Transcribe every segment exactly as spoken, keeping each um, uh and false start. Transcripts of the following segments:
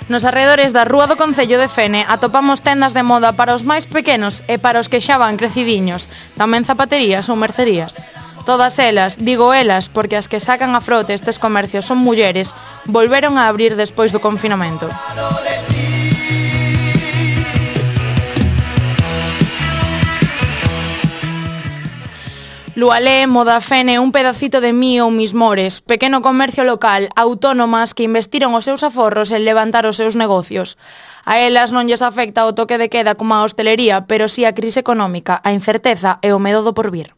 Nos arredores da Rúa do Concello de Fene atopamos tendas de moda para os máis pequenos e para os que xa van crecidiños, tamén zapaterías ou mercerías. Todas elas, digo elas, porque as que sacan a frote estes comercios son mulleres, volveron a abrir despois do confinamento. Lualé, Moda Fene, Un pedacito de mí ou Mismores, pequeno comercio local, autónomas que investiron os seus aforros en levantar os seus negocios. A elas non lles afecta o toque de queda como a hostelería, pero sí a crise económica, a incerteza e o medo do porvir.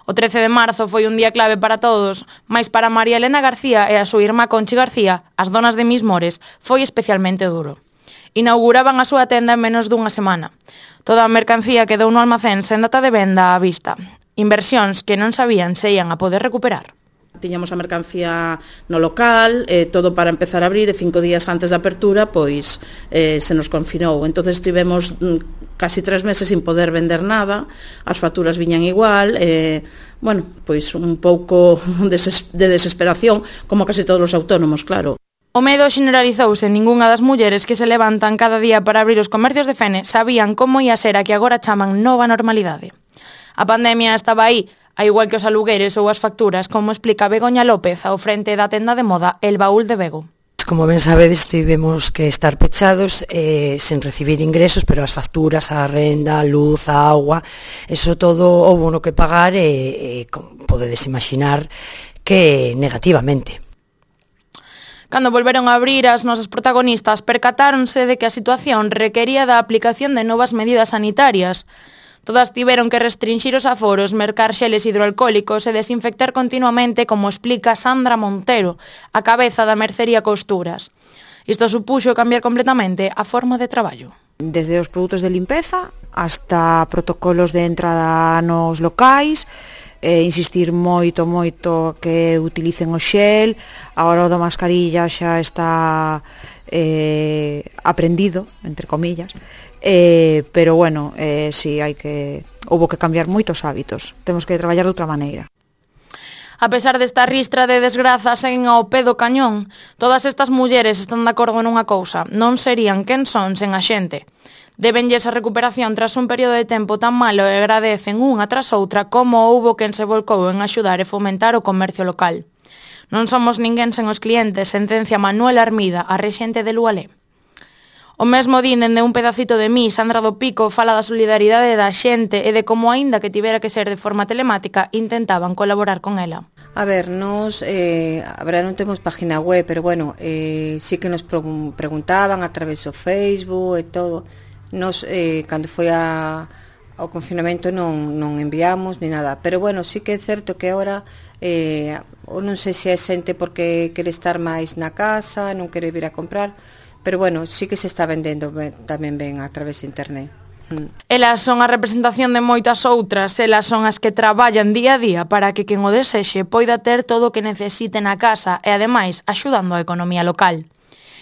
O trece de marzo foi un día clave para todos, mais para María Elena García e a súa irmá Conchi García, as donas de Mismores, foi especialmente duro. Inauguraban a súa tenda en menos dunha semana. Toda a mercancía quedou no almacén sen data de venda á vista. Inversións que non sabían se ian a poder recuperar. Tiñamos a mercancía no local, eh, todo para empezar a abrir, e cinco días antes da apertura, pois eh, se nos confinou. Entonces tivemos mm, casi tres meses sin poder vender nada, as facturas viñan igual, eh, bueno, pois un pouco de desesperación, como casi todos os autónomos, claro. O medo generalizouse en ningunha das mulleres que se levantan cada día para abrir os comercios de Fene sabían como ia ser a que agora chaman nova normalidade. A pandemia estaba aí, a igual que os alugueres ou as facturas, como explica Begoña López ao frente da tenda de moda El Baúl de Bego. Como ben sabedes, tivemos que estar pechados eh, sen recibir ingresos, pero as facturas, a renda, a luz, a agua, eso todo houbo no que pagar e, e podedes imaginar que negativamente. Cando volveron a abrir, as nosas protagonistas percatáronse de que a situación requería da aplicación de novas medidas sanitarias. Todas tiveron que restringir os aforos, mercar xeles hidroalcohólicos e desinfectar continuamente, como explica Sandra Montero, a cabeza da mercería Costuras. Isto supuxo cambiar completamente a forma de traballo. Desde os produtos de limpeza hasta protocolos de entrada nos locais, eh, insistir moito, moito que utilicen o xel, a hora da mascarilla xa está eh, aprendido, entre comillas, Eh, pero bueno, eh, si hai que houbo que cambiar moitos hábitos, temos que traballar de outra maneira. A pesar desta ristra de desgrazas en ao pé do cañón, todas estas mulleres están de acordo nunha cousa: non serían quen son sen a xente. Débenlles a recuperación tras un período de tempo tan malo e agradecen unha tras outra como houbo quen se volcou en axudar e fomentar o comercio local. Non somos ninguén sen os clientes, sentencia Manuel Armida, a rexente de Lualé. O mesmo din dende Un pedacito de mí, Sandra do Pico fala da solidaridade da xente e de como, aínda que tivera que ser de forma telemática, intentaban colaborar con ela. A ver, nos, eh, a ver, non temos página web, pero bueno, eh, sí que nos preguntaban a través do Facebook e todo. Nos, eh, cando foi a, ao confinamento non, non enviamos ni nada, pero bueno, sí que é certo que agora, eh, ou non sei se é xente porque quere estar máis na casa, non quere vir a comprar, pero bueno, sí que se está vendendo ben, tamén ben a través de internet. Mm. Elas son a representación de moitas outras, elas son as que traballan día a día para que quen o desexe poida ter todo o que necesite na casa e ademais axudando a economía local.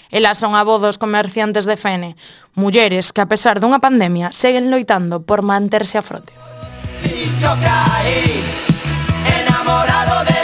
Elas son a voz dos comerciantes de Fene, mulleres que a pesar dunha pandemia seguen loitando por manterse a frote. Enamorado de